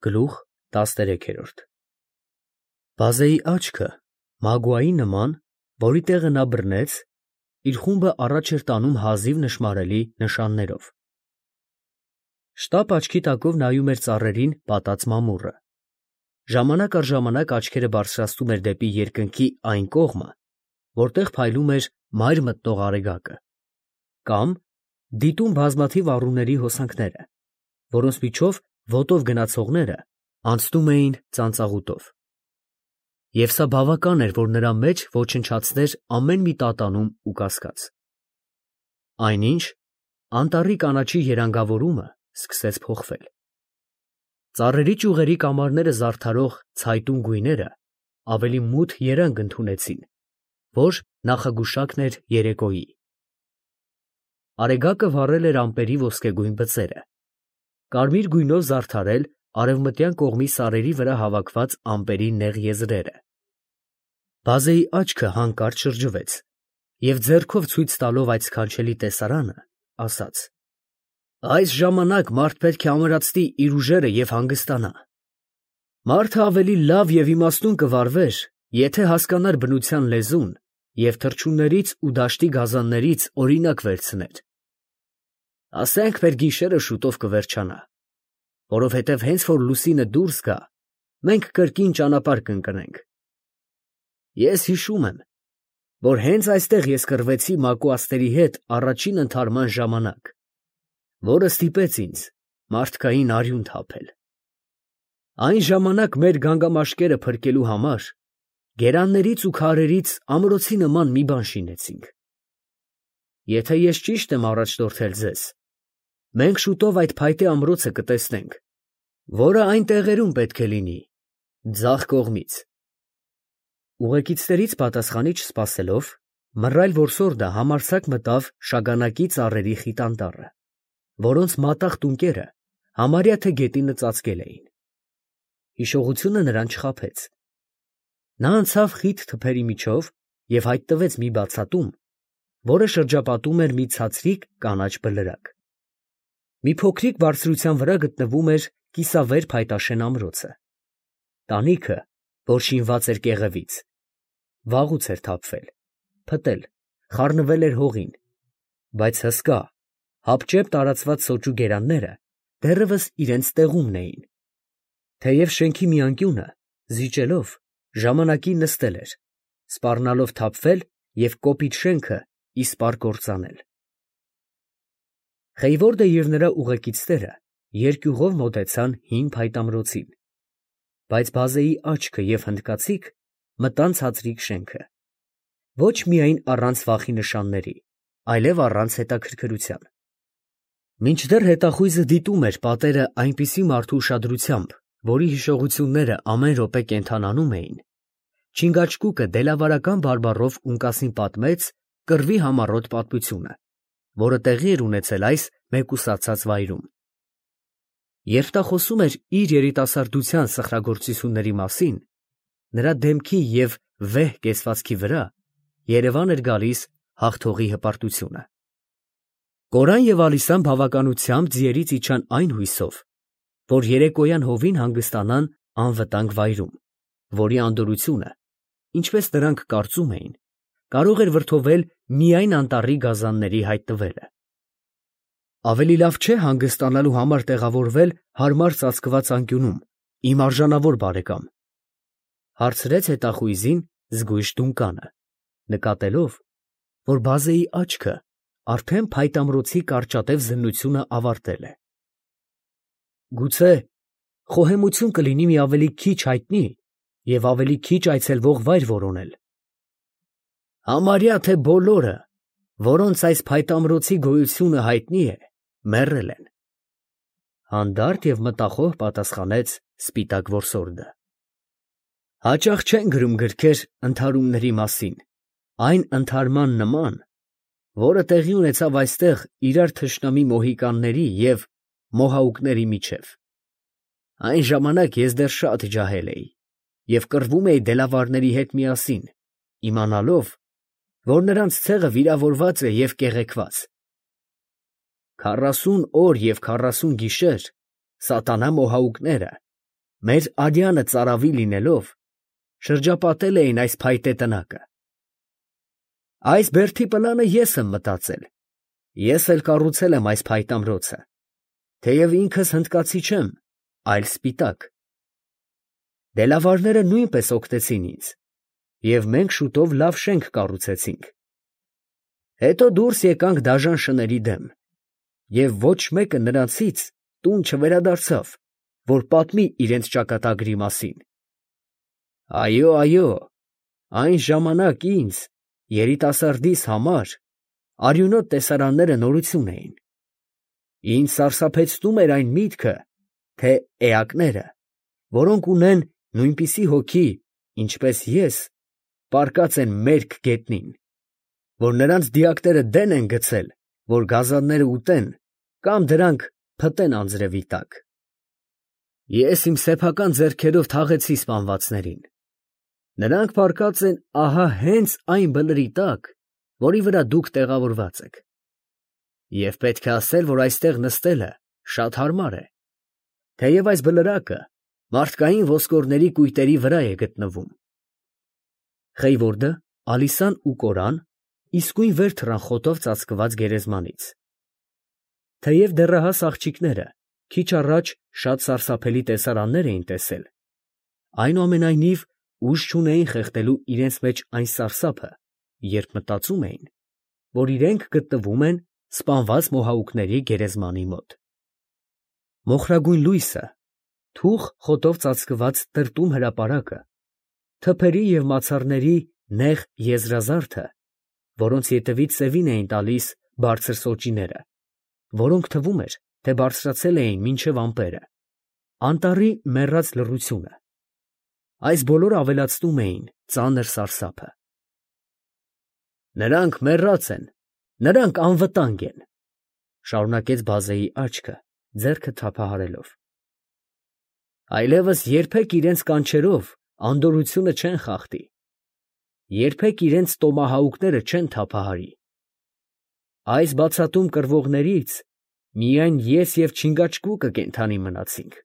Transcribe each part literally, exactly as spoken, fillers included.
Գլուխ տասներեք։ Բազեի աչքը մագուայի նման, որի տեղը նա բռնեց, իր խումբը առաջ էր տանում հազիվ նշմարելի նշաններով։ Շտապ աչքի տակով նայում էր ծառերին պատած մամուռը։ Ժամանակ առ ժամանակ աչքերը բարձրացնում էր դեպի երկնքի այն կողմը, որտեղ փայլում էր մայր մտնող արեգակը, կամ դիտում բազմաթիվ առուների հոսանքները, որոնց միջով ոտով գնացողները անցնում էին ծանծաղուտով։ Եվ սա բավական էր, որ նրա մեջ ոչնչացներ ամեն մի տատանում ու կասկած։ Այնինչ, անտառի կանաչի երանգավորումը սկսեց փոխվել։ Ծառերի ճյուղերի կամարները զարդարող ցայտուն գույները ավելի մութ երանգ ընդունեցին, որ նախագուշակն էր երեկոյի։ Արեգակը վառել էր ամպերի ոսկեգույն բծերը, կարմիր գույնով զարդարել արևմտյան կողմի սարերի վրա հավաքված ամպերի նեղ եզրերը։ Բազեի աչքը հանկարծ շրջվեց և ձեռքով ցույց տալով այդ սքանչելի տեսարանը, ասաց. «Այս ժամանակ մարդ պետք է ամրացնի իր ուժերը և հանգստանա։ Մարդը ավելի լավ և իմաստուն կվարվեր, եթե հասկանար բնության լեզուն և թռչուններից ու դաշտի գազաններից օրինակ վերցներ։ Ասենք մեր գիշերը շուտով կվերջանա, որովհետև հենց որ լուսինը դուրս գա, մենք կրկին ճանապարհ կընկնենք։ Ես հիշում եմ, որ հենց այստեղ ես կռվեցի մակուասների հետ առաջին ընդհարման ժամանակ, որը ստիպեց ինձ մարդկային արյուն թափել։ Այն ժամանակ մեր գանգամաշկերը փրկելու համար գերաններից ու քարերից ամրոցի նման մի բան շինեցինք։ Եթե ես ճիշտ եմ առաջնորդել ձեզ, մենք շուտով այդ փայտե ամրոցը կտեսնենք, որը այն տեղերում պետք է լինի, ձախ կողմից»։ Ուղեկիցներից պատասխանիչ չսպասելով, մռայլ որսորդը համարձակ մտավ շագանակի ծառերի խիտ անտառը, որոնց մատաղ տունկերը համարյա թե գետինը ծածկել էին։ Հիշողությունը նրան չխաբեց։ Նա անցավ խիտ թփերի միջով և հայտնվեց մի բացատում, որը շրջապատում էր մի ցածրիկ կանաչ բլրակ։ Մի փոքրիկ բարձրության վրա գտնվում էր կիսավեր փայտաշեն ամրոցը։ Տանիքը, որ շինված էր կեղևից, վաղուց էր թափվել, փտել, խառնվել էր հողին, բայց հսկա, հապճեպ տարածված սոճու գերանները դեռևս իրենց տեղումն էին։ Թեև շենքի մի անկյունը, զիջելով, ժամանակին նստել էր, սպառնալով թափվել և կոպիտ շենքը իսպառ կործանել։ Խեյվորդը և նրա ուղեկիցները երկյուղով մոտեցան հին փայտամրոցին, բայց բազեի աչքը և հնդկացիք մտան ցածրիկ շենքը, ոչ միայն առանց վախի նշանների, այլև առանց հետաքրքրության։ Մինչդեռ հետախույզը դիտում էր պատերը այնպիսի մարդու ուշադրությամբ, որի հիշողությունները ամեն րոպե կենդանանում էին, Չինգաչգուկը դելավարական բարբառով ունկասին պատմեց կռվի համառոտ պատմությունը, որը տեղի էր ունեցել այս մեկուսացած վայրում։ Երբ նա խոսում էր իր երիտասարդության սխրագործությունների մասին, նրա դեմքի և վեհ կեցվածքի վրա երևան էր գալիս հաղթողի հպարտությունը։ Կորան և Ալիսան բավականությամբ ձիերից իջան այն հույսով, որ երեկոյան հովին հանգստանան անվտանգ վայրում, որի անդորրությունը, ինչպես նրանք կարծում էին, կարող էր վրդովել միայն անտառի գազանների հայտնվելը։ Ավելի լավ չէ հանգստանալու համար տեղավորվել հարմար ծածկված անկյունում, իմ արժանավոր բարեկամ, ֊ հարցրեց հետախույզին զգույշ Դունկանը, նկատելով, որ բազեի աչքը արդեն փայտամրոցի կարճատև զննությունը ավարտել է։ Գուցե խոհեմություն կլինի մի ավելի քիչ հայտնի և ավելի քիչ այցելվող վայր որոնել։ Համարյա թե բոլորը, որոնց այս փայտամրոցի գոյությունը հայտնի է, մեռել են, ֊ հանդարտ և մտախոհ պատասխանեց սպիտակ որսորդը։ Հաճախ չեն գրում գրքեր ընդհարումների մասին, այն ընդհարման նման, որը տեղի ունեցավ այստեղ իրար թշնամի մոհիկանների և մոհաուկների միջև։ Այն ժամանակ ես դեռ շատ ջահել էի և կռվում էի դելավարների հետ միասին, իմանալով, որ նրանց ցեղը վիրավորված է և կեղեքված։ Քառասուն օր և քառասուն գիշեր սատանա մոհաուկները մեր արյանը ծարավի լինելով, շրջապատել էին այս փայտե տնակը։ Այս բերդի պլանը ես եմ մտածել, ես էլ կառուցել եմ այս փայտամրոցը, թեև ինքս հնդկացի չեմ, այլ սպիտակ։ Դելավարները նույնպես օգնեցին ինձ, և մենք շուտով լավ շենք կառուցեցինք։ Հետո դուրս եկանք դաժան շների դեմ, և ոչ մեկը նրանցից տուն չվերադարձավ, որ պատմի իրենց ճակատագրի մասին։ Այո, այո, այն ժամանակ ինձ, երիտասարդիս համար, արյունոտ տեսարանները նորություն էին։ Ինձ սարսափեցնում էր այն միտքը, թե էակները, որոնք ունեն նույնպիսի հոգի, ինչպես ես, պառկած են մերկ գետնին, որ նրանց դիակները դեն են գցել, որ գազանները ուտեն կամ դրանք փտեն անձրևի տակ։ Ես իմ սեփական ձեռքերով թաղեցի սպանվածներին։ Նրանք պառկած են ահա հենց այն բլրի տակ, որի վրա դուք տեղավորված եք։ Եվ պետք է ասել, որ այստեղ նստելը շատ հարմար է, թեև այս բլրակը մարդկային ոսկորների կույտերի վրա է գտնվում։ Խեյվորդը, Ալիսան ու Կորան իսկույն վեր թռան խոտով ծածկված գերեզմանից։ Թեև դեռահաս աղջիկները քիչ առաջ շատ սարսափելի տեսարաններ էին տեսել, այնուամենայնիվ ուժ չունեին խեղդելու իրենց մեջ այն սարսափը, երբ մտածում էին, որ իրենք գտնվում են սպանված մոհաուկների գերեզմանի մոտ։ Մոխրագույն լույսը, թուխ խոտով ծածկված տրտում հրապարակը, թփերի և մացառների նեղ եզրազարդը, որոնց ետևից սևին էին տալիս բարձր սոճիները, որոնք թվում էր, թե բարձրացել էին մինչև ամպերը, անտառի մեռած լռությունը, այս բոլորը ավելացնում էին ծանր սարսափը։ Նրանք մեռած են, նրանք անվտանգ են, շարունակեց բազեի աչքը, ձեռքը թափահարելով։ Այլևս երբեք իրենց կանչերով անդորրությունը չեն խախտի, երբեք իրենց տոմահաուկները չեն թափահարի։ Այս բացատում կռվողներից միայն ես և չինգաչգուկը կենդանի մնացինք։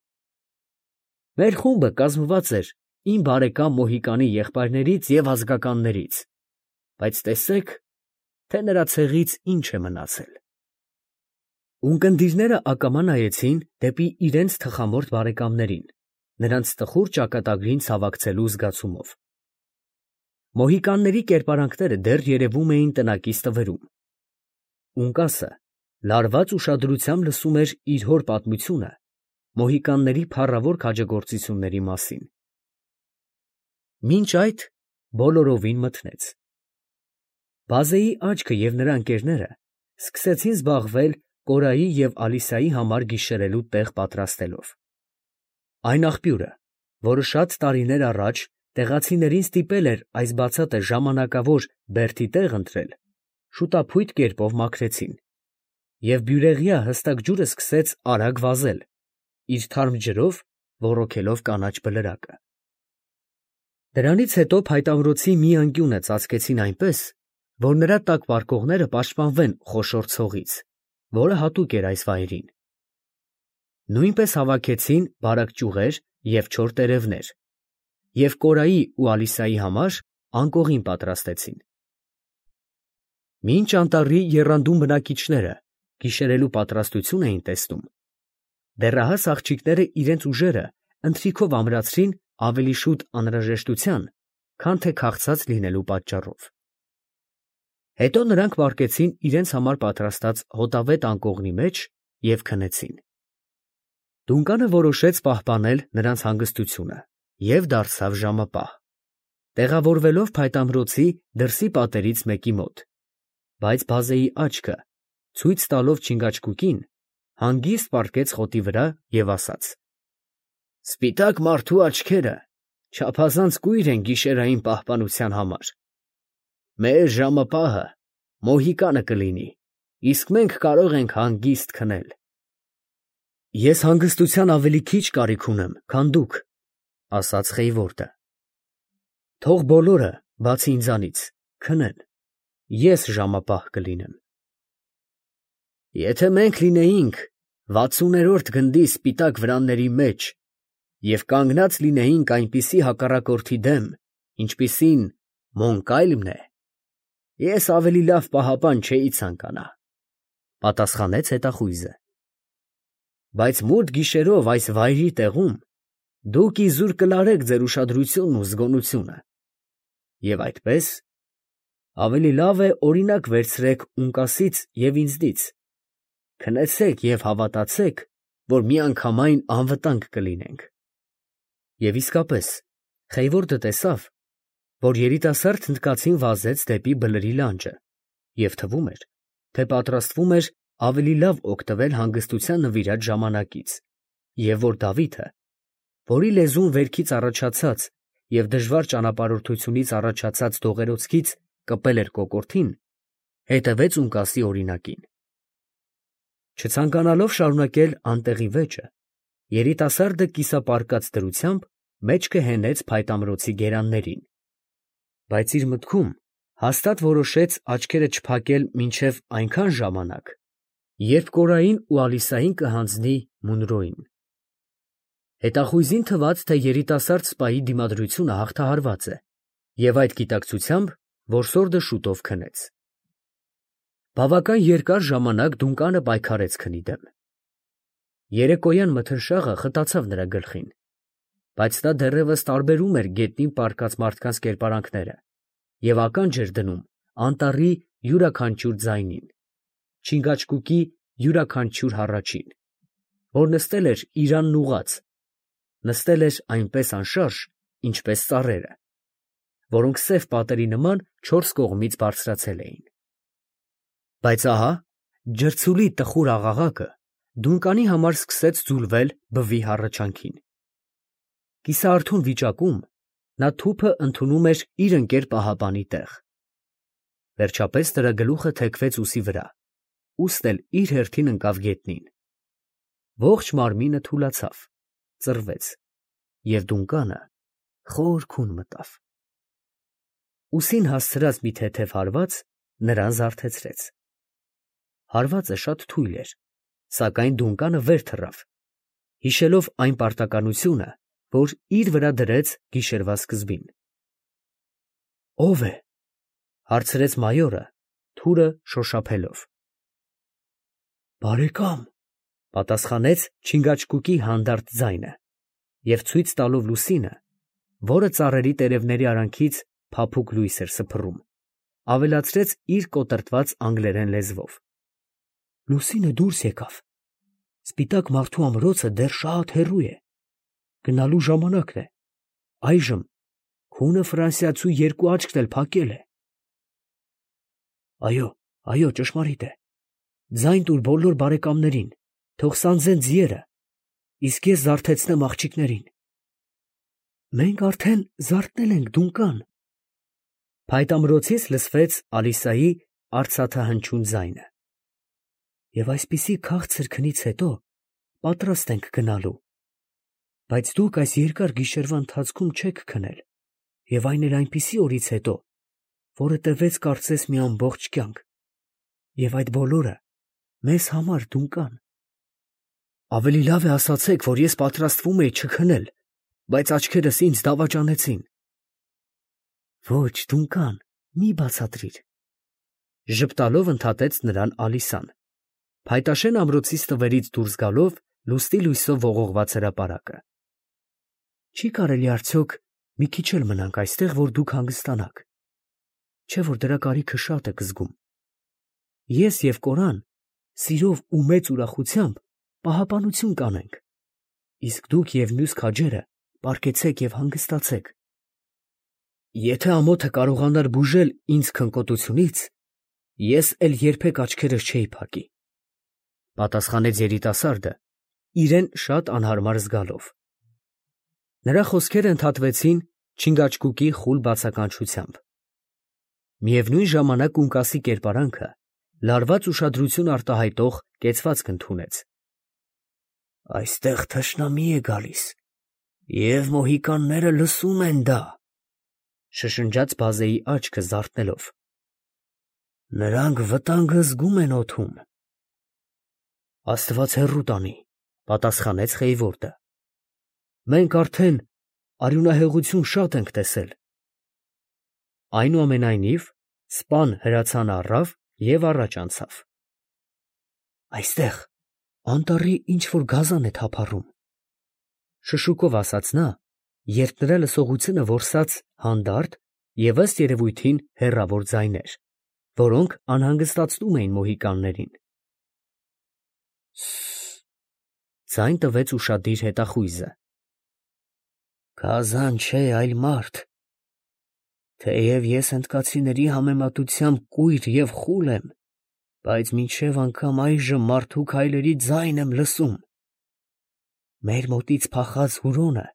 Մեր խումբը կազմված էր իմ բարեկամ Մոհիկանի եղբայրներից և ազգականներից, բայց տեսեք, թե նրա ցեղից ինչ է մնացել։ Ունկնդիրները ակամա նայեցին դեպի իրենց թխամորթ բարեկամներին, նրանց տխուր ճակատագրին ցավակցելու զգացումով։ Մոհիկանների կերպարանքները դեռ երևում էին տնակից տվերում։ Ունկասը լարված ուշադրությամբ լսում էր իր հոր պատմությունը մոհիկանների փառավոր քաջագործությունների մասին։ Մինչ այդ բոլորովին մթնեց։ Բազեի աչքը և նրա ընկերները սկսեցին զբաղվել Կորայի և Ալիսայի համար գիշերելու տեղ պատրաստելով։ Այն աղբյուրը, որը շատ տարիներ առաջ տեղացիներին ստիպել էր այս բացատը ժամանակավոր բերդի տեղ ընտրել, շուտափույթ կերպով մաքրեցին, և բյուրեղյա հստակ ջուրը սկսեց արագ վազել, իր թարմ ջրով ոռոգելով կանաչ բլրակը։ Դրանից հետո փայտամրոցի մի անկյունը ծածկեցին այնպես, որ նրա տակ պառկողները պաշտպանվեն խոշոր ցողից, որը հատուկ էր այս վայրին։ Նույնպես հավաքեցին բարակ ճյուղեր և չոր տերևներ, և Կորայի ու Ալիսայի համար անկողին պատրաստեցին։ Մինչ անտառի եռանդուն բնակիչները գիշերելու պատրաստություն էին տեսնում, դեռահաս աղջիկները իրենց ուժերը ընթրիքով ամրացրին ավելի շուտ անհրաժեշտության, քան թե քաղցած լինելու պատճառով։ Հետո նրանք պառկեցին իրենց համար պատրաստած հոտավետ անկողնի մեջ և քնեցին։ Դունկանը որոշեց պահպանել նրանց հանգստությունը և դարձավ ժամապահ, տեղավորվելով փայտամրոցի դրսի պատերից մեկի մոտ, բայց բազեի աչքը, ցույց տալով չինգաչգուկին, հանգիստ պառկեց խոտի վրա և ասաց. «Սպիտակ մարդու աչքերը չափազանց կույր են գիշերային պահպանության համար։ Մեր ժամապահը Մոհիկանը կլինի, իսկ մենք կարող ենք հանգիստ քնել»։ «Ես հանգստության ավելի քիչ կարիք ունեմ, քան դուք», ֊ ասաց Խեյվորդը։ «Թող բոլորը, բացի ինձանից, քնեն, ես ժամապահ կլինեմ»։ «Եթե մենք լինեինք վաթսուներորդ գնդի սպիտակ վրանների մեջ, և կանգնած լինեինք այնպիսի հակառակորդի դեմ, ինչպիսին Մոնկալմն է, ես ավելի լավ պահապան չէի ցանկանա, ֊ պատասխանեց հետախույզը. բայց մութ գիշերով այս վայրի տեղում դուք իզուր կլարեք ձեր ուշադրությունն ու զգոնությունը, և այդպես ավելի լավ է օրինակ վերցրեք Ունկասից և ինձնից, քնեցեք և հավատացեք, որ միանգամայն անվտանգ կլինենք։ Եվ իսկապես Խեյվորդը տեսավ, որ երիտասարդ հնդկացին վազեց դեպի բլրի լանջը, և թվում էր, թե պատրաստվում էր ավելի լավ օգտվել հանգստության նվիրած ժամանակից, և որ Դավիթը, որի լեզուն վերքից առաջացած և դժվար ճանապարհորդությունից առաջացած դողերոցքից կպել էր կոկորդին, հետևեց Ունկասի օրինակին։ Չցանկանալով շարունակել անտեղի վեճը, երիտասարդը կիսապարկած դրությամբ մեջքը հենեց փայտամրոցի գերաններին, բայց իր մտքում հաստատ որոշեց աչքերը չփակել մինչև այնքան ժամանակ, երբ Կորային ու Ալիսային կհանձնի Մունրոյին։ Հետախույզին թվաց, թե երիտասարդ սպայի դիմադրությունը հաղթահարված է, և այդ գիտակցությամբ որսորդը շուտով քնեց։ Բավական երկար ժամանակ Դունկանը պայքարեց քնի դեմ։ Երեկոյան մթնշաղը խտացավ նրա գլխին, բայց նա դեռևս տարբերում էր գետնին պառկած մարդկանց կերպարանքները և ականջ էր դնում անտառի յուրաքանչյուր ձայնին, չինգաչկուկի յուրաքանչյուր հառաչին, որ նստել էր իրանն ուղղած, նստել էր այնպես անշարժ, ինչպես ծառերը, որոնք սև պատերի նման չորս կողմից բարձրացել էին։ Բայց ահա ջրցուլի տխուր աղաղակը Դունկանի համար սկսեց ձուլվել բվի հառաչանքին։ Կիսաարթուն վիճակում նա թուփը ընդունում էր իր ընկեր պահապանի տեղ։ Վերջապես նրա գլուխը թեքվեց ուսի վրա, ուստն էլ իր հերթին ընկավ գետնին։ Ողջ մարմինը թուլացավ, ծռվեց, և Դունկանը խոր քուն մտավ։ Ուսին հասցրած մի թեթև հարված նրան զարթեցրեց։ Հարվածը շատ թույլ էր, սակայն Դունկանը վեր թռավ, հիշելով այն պարտականությունը, որ իր վրա դրեց գիշերվա սկզբին։ ֊ Ո՞վ է, ֊ հարցրեց մայորը, թուրը շոշափելով։ ֊ Բարեկամ, ֊ պատասխանեց չինգաչկուկի հանդարտ ձայնը, և ցույց տալով լուսինը, որը ծառերի տերևների արանքից փափուկ լույս էր սփռում, ավելացրեց իր կոտրտված անգլերեն լեզվով. ֊ Լուսինը դուրս եկավ, սպիտակ մարդու ամրոցը դեռ շատ հեռու է, գնալու ժամանակն է, այժմ քունը ֆրանսիացու երկու աչքն էլ փակել է։ ֊ Այո, այո, ճշմարիտ է, ձայն տուր բոլոր բարեկամներին, թող սանձեն ձիերը, իսկ ես զարթեցնեմ աղջիկներին։ ֊ Մենք արդեն զարթնել ենք, Դունկան։ Փայտամրոցից լսվեց Ալիսայի արծաթահնչյուն ձայնը։ Եվ այսպիսի քաղցր քնից հետո պատրաստ ենք գնալու, բայց դուք այս երկար գիշերվա ընթացքում չեք քնել, և այն էլ այնպիսի օրից հետո, որը տևեց կարծես մի ամբողջ կյանք, և այդ բոլորը մեզ համար, Դունկան։ Ավելի լավ է ասացեք, որ ես պատրաստվում էի չքնել, բայց աչքերս ինձ դավաճանեցին։ Ոչ, Դունկան, մի բացատրիր, ֊ ժպտալով ընդհատեց նրան Ալիսան, փայտաշեն ամրոցի ստվերից դուրս գալով լուսնի լույսով ողողված հրապարակը։ Չի կարելի արդյոք մի քիչ էլ մնանք այստեղ, որ դուք հանգստանաք, չէ՞ որ դրա կարիքը շատ եք զգում։ Ես և Կորան սիրով ու մեծ ուրախությամբ պահապանություն կանենք, իսկ դուք և մյուս քաջերը պառկեցեք և հանգստացեք։ Եթե ամոթը կարողանար բուժել ինձ քնկոտությունից, ես էլ երբեք աչքերս չէի փակի, ֊ պատասխանեց երիտասարդը, իրեն շատ անհարմար զգալով։ Նրա խոսքերը ընդհատվեցին չինգաչկուկի խուլ բացականչությամբ։ Միևնույն ժամանակ Ունկասի կերպարանքը լարված ուշադրություն արտահայտող կեցվածք ընդունեց։ Այստեղ թշնամի է գալիս, և մոհիկանները լսում են դա, ֊ շշնջաց բազեի աչքը զարթնելով։ Նրանք վտանգը զգում են օդում։ Աստված հեռու տանի, ֊ պատասխանեց Խեյվորդը։ Մենք արդեն արյունահեղություն շատ ենք տեսել։ Այնուամենայնիվ սպան հրացանը առավ և առաջ անցավ։ Այստեղ անտառի ինչ֊որ գազան է թափառում, շշուկով ասաց նա, երբ նրա լսողությունը որսաց հանդարտ և ըստ երևույթին հեռավոր ձայներ, որոնք անհանգստացնում էին մոհիկաններին։ Սը՜ս… ձայն տվեց ուշադիր հետախույզը։ Գազան չէ, այլ մարդ։ Թեև ես հնդկացիների համեմատությամբ կույր և խուլ եմ, բայց մինչև անգամ այժմ մարդու քայլերի ձայն եմ լսում։ Մեր մոտից փախած Հուրոնը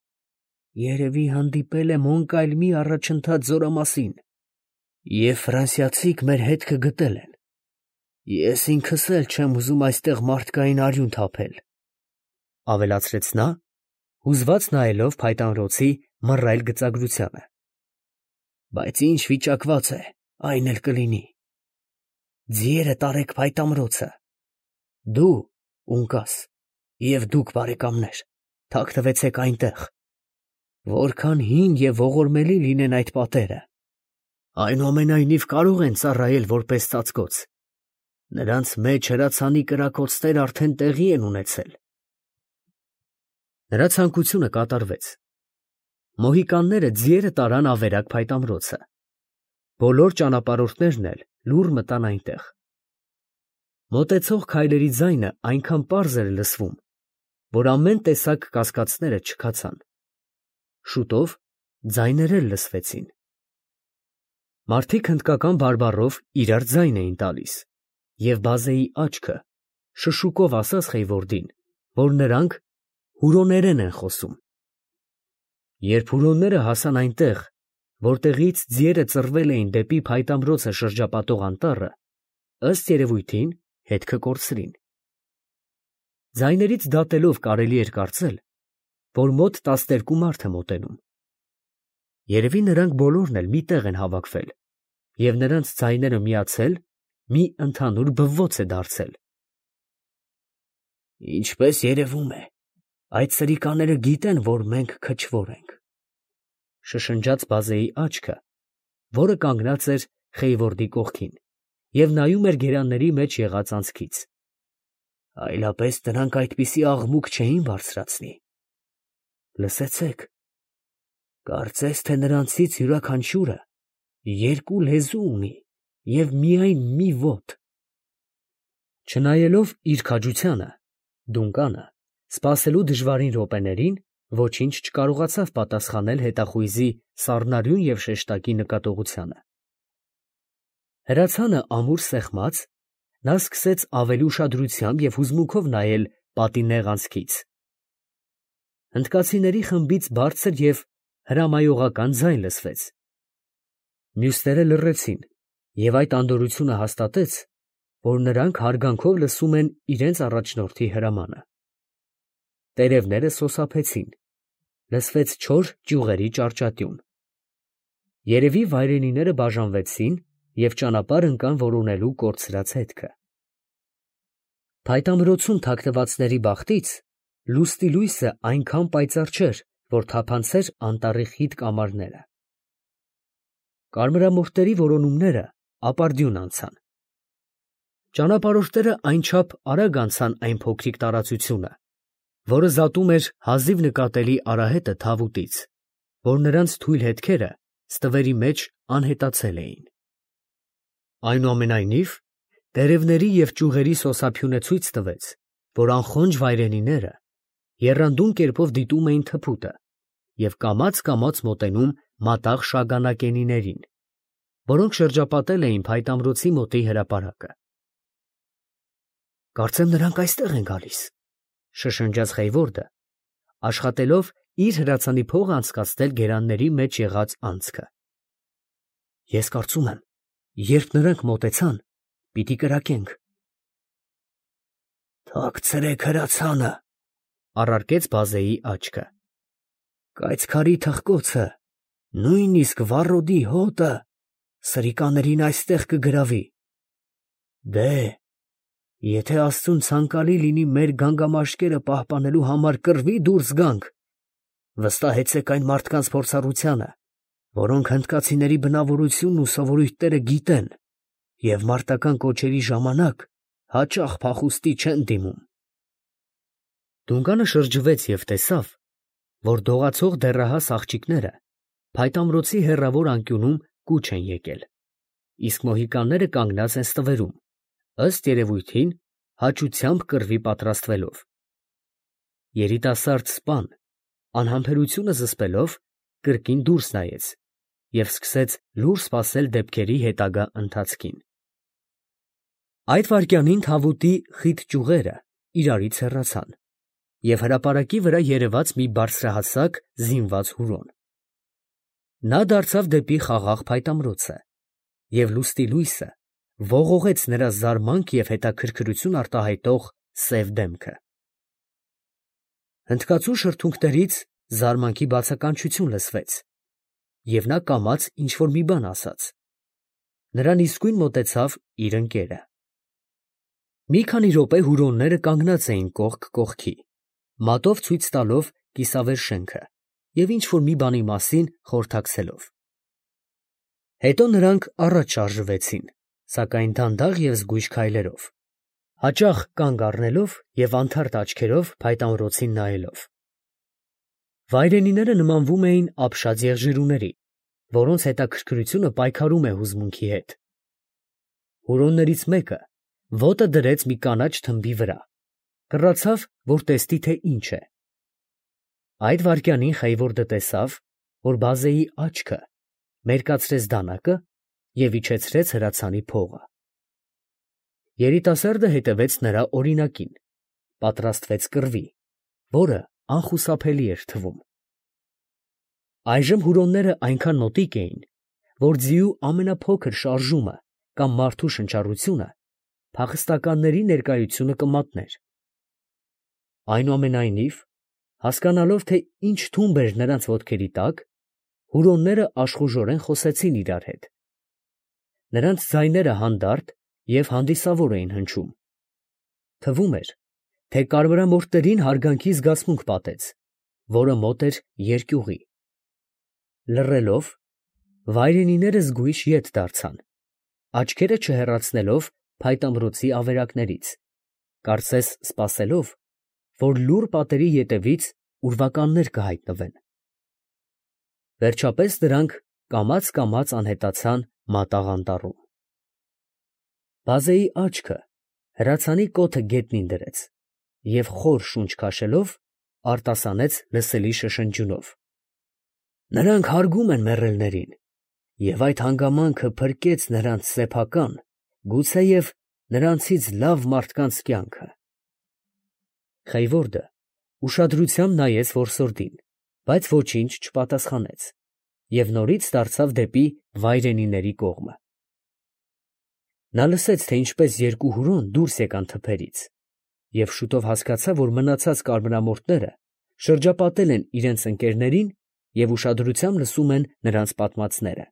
երևի հանդիպել է Մոնկալմի առաջընթաց զորամասին, և ֆրանսիացիք մեր հետքը գտել են։ Ես ինքս էլ չեմ ուզում այստեղ մարդկային արյուն թափել, ֊ ավելացրեց նա, հուզված նայելով փայտանրոցի մռայլ գծագրությանը։ Բայց ինչ վիճակված է, այն էլ կլինի։ Ձիերը տարեք փայտամրոցը։ Դու, Ունկաս, և դուք, բարեկամներ, թաքնվեցեք այնտեղ։ Որքան հին և ողորմելի լինեն այդ պատերը, այնուամենայնիվ կարող են ծառայել որպես ծածկոց. նրանց մեջ հրացանի կրակոցներ արդեն տեղի են ունեցել։ Նրա ցանկությունը կատարվեց։ Մոհիկանները ձիերը տարան ավերակ փայտամրոցը։ Բոլոր ճանապարհորդներն էլ լուռ մտան այնտեղ։ Մոտեցող քայլերի ձայնը այնքան պարզ էր լսվում, որ ամեն տեսակ կասկածները չքացան։ Շուտով ձայներ էլ լսվեցին։ Մարդիկ հնդկական բարբառով իրար ձայն էին տալիս, և բազեի աչքը շշուկով ասաց Խեյվորդին, որ նրանք հուրոներեն են խոսում։ Երբ հուրոնները հասան այնտեղ, որտեղից ձիերը ծռվել էին դեպի փայտամրոցը շրջապատող անտառը, ըստ երևույթին հետքը կորցրին։ Ձայներից դատելով կարելի էր կարծել, որ մոտ տասներկու մարդ է մոտենում։ Երևի նրանք բոլորն էլ մի տեղ են հավաքվել, և նրանց ձայները միացել մի ընդհանուր բվոց է դարձել։ Ինչպես երևում է, այդ սրիկաները գիտեն, որ մենք քչվոր ենք, ֊ շշնջաց բազեի աչքը, որը կանգնած էր Խեյվորդի կողքին և նայում էր գերանների մեջ եղած անցքից։ Այլապես նրանք այդպիսի աղմուկ չէին բարձրացնի։ Լսեցե՛ք, կարծես թե նրանցից յուրաքանչյուրը երկու լեզու ունի և միայն մի ոտ։ Չնայելով իր քաջությանը, Դունկանը, սպասելու դժվարին րոպեներին, ոչինչ չկարողացավ պատասխանել հետախույզի սառնարյուն և շեշտակի նկատողությանը։ Հրացանը ամուր սեղմած, նա սկսեց ավելի ուշադրությամբ և հուզմունքով նայել պատի նեղ անցքից։ Հնդկացիների խմբից բարձր և հրամայողական ձայն լսվեց։ Մյուսները լռեցին, և այդ անդորրությունը հաստատեց, որ նրանք հարգանքով լսում են իրենց առաջնորդի հրամանը։ Տերևները սոսափեցին, լսվեց չոր ճյուղերի ճարճատյուն։ Երևի վայրենիները բաժանվեցին և ճանապարհ ընկան որոնելու կորցրած հետքը։ Փայտամրոցում թաքնվածների բախտից լուսնի լույսը այնքան պայծառ չէր, որ թափանցեր անտառի խիտ կամարները։ Կարմրամորթերի որոնումները ապարդյուն անցան։ Ճանապարհորդները այնչափ արագ անցան այն փոքրիկ տարածությունը, որը զատում էր հազիվ նկատելի արահետը թավուտից, որ նրանց թույլ հետքերը ստվերի մեջ անհետացել էին։ Այնուամենայնիվ տերևների և ճյուղերի սոսափյունը ցույց տվեց, որ անխոնջ վայրենիները եռանդուն կերպով դիտում էին թփուտը և կամաց֊կամաց մոտենում մատաղ շագանակենիներին, որոնք շրջապատել էին փայտամրոցի մոտի հրապարակը։ Կարծեմ նրանք այստեղ են գալիս, ֊ շշնջաց Խեյվորդը, աշխատելով իր հրացանի փողը անցկացնել գերանների մեջ եղած անցքը։ Ես կարծում եմ, երբ նրանք մոտեցան, պիտի կրակենք։ Թաքցրեք հրացանը, ֊ առարկեց բազեի աչքը։ Կայծքարի թխկոցը, նույնիսկ վառոդի հոտը սրիկաներին այստեղ կգրավի։ Դե, եթե աստծուն ցանկալի լինի մեր գանգամաշկերը պահպանելու համար կռվի դուրս գանք, վստահեցեք այն մարդկանց փորձառությանը, որոնք հնդկացիների բնավորությունն ու սովորույթները գիտեն և մարտական կոչերի ժամանակ հաճախ փախուստի չեն դիմում։ Դունկանը շրջվեց և տեսավ, որ դողացող դեռահաս աղջիկները փայտամրոցի հեռավոր անկյունում կուչ են եկել, իսկ մոհիկանները կանգնած են ստվերում, ըստ երևույթին, հաճությամբ կռվի պատրաստվելով։ Երիտասարդ սպան, անհամբերությունը զսպելով, կրկին դուրս նայեց և սկսեց լուռ սպասել դեպքերի հետագա ընթացքին։ Այդ վայրկյանին թավուտի խիտ ճյուղերը իրարից հեռացան, և հրապարակի վրա երևաց մի բարձրահասակ զինված հուրոն։ Նա դարձավ դեպի խաղաղ փայտամրոցը, և լուստի լույսը ողողեց նրա զարմանք և հետաքրքրություն արտահայտող սև դեմքը։ Հնդկացու շրթունքներից զարմանքի բացականչություն լսվեց, և նա կամաց ինչ֊որ մի բան ասաց։ Նրան իսկույն մոտեցավ իր ընկերը։ Մի քանի րոպե հուրոնները կանգնած էին կողք կողքի, մատով ցույց տալով կիսավեր շենքը և ինչ֊որ մի բանի մասին խորհրդակցելով։ Հետո նրանք առաջ շարժվեցին, սակայն դանդաղ և զգույշ քայլերով, հաճախ կանգ առնելով և անթարթ աչքերով փայտամրոցին նայելով։ Վայրենիները նմանվում էին ապշած եղջերուների, որոնց հետաքրքրությունը պայքարում է հուզմունքի հետ։ Հուրոններից մեկը ոտը դրեց մի կանաչ թմբի վրա, կռացավ, որ տեսնի, թե ինչ է։ Այդ վայրկյանին Խեյվորդը տեսավ, որ բազեի աչքը մերկացրեց դանակը և իջեցրեց հրացանի փողը։ Երիտասարդը հետևեց նրա օրինակին, պատրաստվեց կռվի, որը անխուսափելի էր թվում։ Այժմ հուրոնները այնքան մոտիկ էին, որ ձիու ամենափոքր շարժումը կամ մարդու շնչառությունը փախստականների ներկայությունը կմատներ։ Այնուամենայնիվ, հասկանալով, թե ինչ թումբ էր նրանց ոտքերի տակ, հուրոնները աշխուժորեն խոսեցին իրար հետ։ Նրանց ձայները հանդարտ և հանդիսավոր էին հնչում։ Թվում էր, թե կարմրամորթներին հարգանքի զգացմունք պատեց, որը մոտ էր երկյուղի։ Լռելով, վայրենիները զգույշ ետ դարձան, աչքերը չհեռացնելով փայտամրոցի ավերակներից, կարծես սպասելով, որ լուռ պատերի ետևից ուրվականներ կհայտնվեն։ Վերջապես դրանք կամաց֊կամաց անհետացան մատաղ անտառում։ Բազեի աչքը հրացանի կոթը գետնին դրեց և խոր շունչ քաշելով, արտասանեց լսելի շշնջյունով. «Նրանք հարգում են մեռելներին, և այդ հանգամանքը փրկեց նրանց սեփական, գուցեև նրանցից լավ մարդկանց կյանքը»։ Խեյվորդը ուշադրությամբ նայեց որսորդին, բայց ոչինչ չպատասխանեց և նորից դարձավ դեպի վայրենիների կողմը։ Նա լսեց, թե ինչպես երկու հուրոն դուրս եկան թփերից, և շուտով հասկացավ, որ մնացած կարմրամորթները շրջապատել են իրենց ընկերներին և ուշադրությամբ լսում են նրանց պատմածները։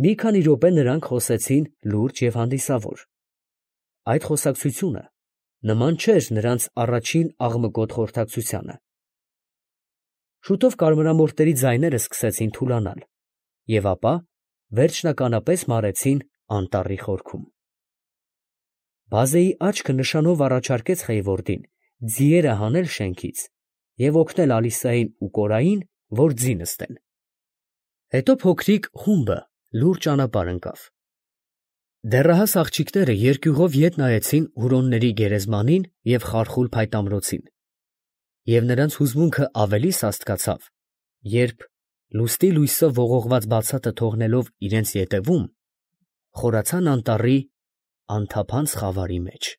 Մի քանի րոպե նրանք խոսեցին լուրջ և հանդիսավոր։ Այդ խոսակցությունը նման չէր նրանց առաջին աղմկոտ խորհրդակցությանը։ Շուտով կարմրամորթերի ձայները սկսեցին թուլանալ և ապա վերջնականապես մարեցին անտառի խորքում։ Բազեի աչքը նշանով առաջարկեց Խեյվորդին ձիերը հանել շենքից և օգնել Ալիսային ու Կորային, որ ձի նստեն։ Հետո փոքրիկ խումբը լուռ ճանապարհ ընկավ։ Դեռահաս աղջիկները երկյուղով ետ նայեցին հուրոնների գերեզմանին և խարխուլ փայտամրոցին, և նրանց հուզմունքը ավելի սաստկացավ, երբ, լուստի լույսով ողողված բացատը թողնելով իրենց ետևում, խորացան անտառի անթափանց խավարի մեջ։